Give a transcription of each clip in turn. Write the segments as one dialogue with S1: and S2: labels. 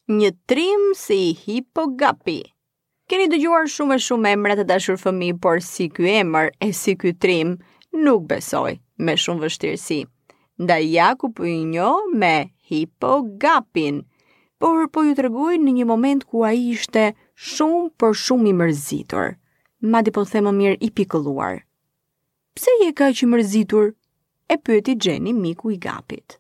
S1: Një trim si Hipogapi. Keni dëgjuar shumë e shumë emra të dashur fëmijë, por si ky emër e si ky trim, nuk besoj, me shumë vështirësi. Ndaj ja ku po ju njoh me Hipogapin, por po ju tregoj në një moment ku ai ishte shumë por shumë i mërzitur. Madje po them më mirë i pikëlluar. Pse je kaq i mërzitur? E pyeti Xheni miku i Gapit.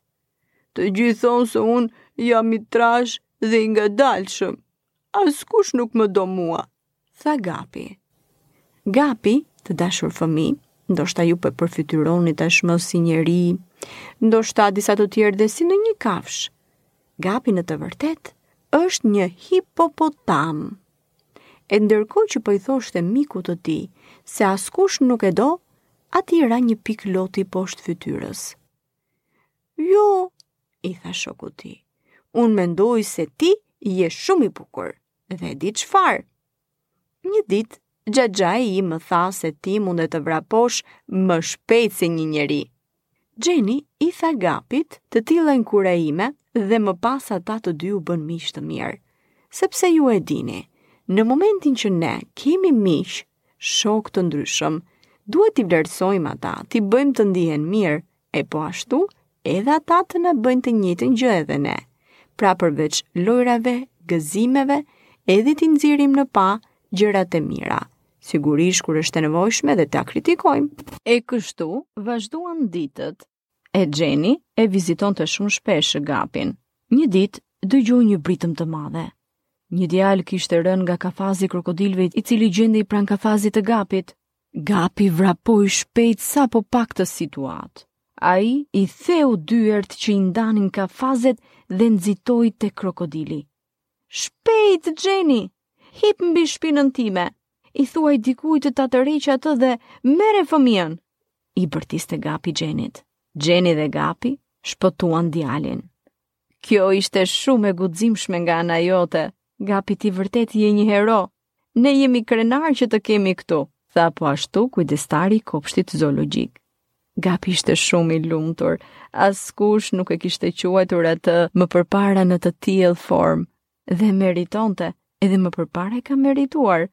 S1: Të gjithë thonë se unë jam i trashë dhe i ngadalshëm. Askush nuk më do mua, tha Gapi. Gapi, të dashur fëmijë, ndoshta ju po e përfytyroni tashmë si njeri, ndoshta disa të tjerë dhe si ndonjë kafshë. Gapi në të vërtetë është një hipopotam. E ndërkohë që po i thoshte mikut të tij se askush nuk e do, atij i ra një pikë loti poshtë fytyrës. Jo, i tha shoku i tij. Unë mendoj se ti je shumë i bukur dhe e di çfarë. Një ditë, xhaxhai im më tha se ti mundet të vraposh më shpejt se një njeri. Xheni i tha Gapit të tilla inkurajime dhe më pas ata të dy u bënë miq të mirë. Sepse ju e dini, në momentin që ne kemi miq, shokë të ndryshëm, duhet t'i vlerësojmë ata, t'i bëjmë të ndihen mirë, E po ashtu, edhe ata të na bëjnë të njëjtën gjë edhe ne. Pra përveç lojrave, gëzimeve, edhe t'i nxjerrim në pah gjërat e mira. Sigurisht kur është e nevojshme dhe ta kritikojmë. E kështu vazhduan ditët. E Xheni e vizitonte shumë shpesh Gapin. Një ditë dëgjoi një britmë të madhe. Një djalë kishte rënë nga kafazi i krokodilëve i cili gjendej pranë kafazit të Gapit. Gapi vrapoi shpejt sapo pa këtë situatë. Ai i theu dyert që i ndanin kafazet dhe nxitoi te krokodili. Shpejt, Xheni! Hip mbi shpinën time! I thuaj dikujt të ta tërheqë atë dhe merre fëmijën! I bërtiste Gapi Xhenit. Xheni dhe Gapi shpëtuan djalin. Kjo ishte shumë e guximshme nga ana jote. Gapi ti vërtet je një hero. Ne jemi krenarë që të kemi këtu, tha po ashtu kujdestari i kopshtit zoologjik. Gapi ishte shumë i lumtur. Askush nuk e kishte quajtur atë më përpara në të tillë formë dhe meritonte, edhe më përpara e ka merituar.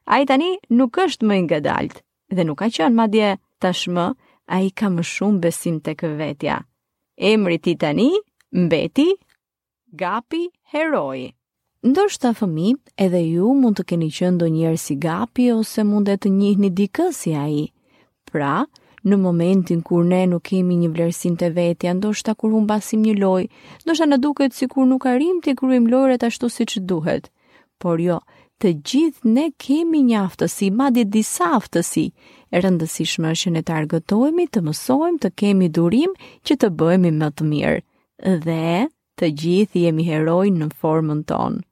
S1: Ai tani nuk është më i ngadaltë dhe nuk ka qenë madje tashmë ai ka më shumë besim tek vetja. Emri i tij tani mbeti Gapi heroi. Ndoshta fëmijë, edhe ju mund të keni qenë ndonjëherë si Gapi ose mund të njihni dikë si ai. Pra, në momentin kur ne nuk kemi një vlerësim te vetja, ndoshta kur humbasim një lojë, ndoshta na duket sikur nuk arrijmë t'i kryejmë lojërat ashtu siç duhet. Por jo, të gjithë ne kemi një aftësi, madje disa aftësi. E rëndësishme është që ne të argëtohemi, të mësojmë, të kemi durim që të bëhemi më të mirë. Dhe të gjithë jemi heroj në formën tonë.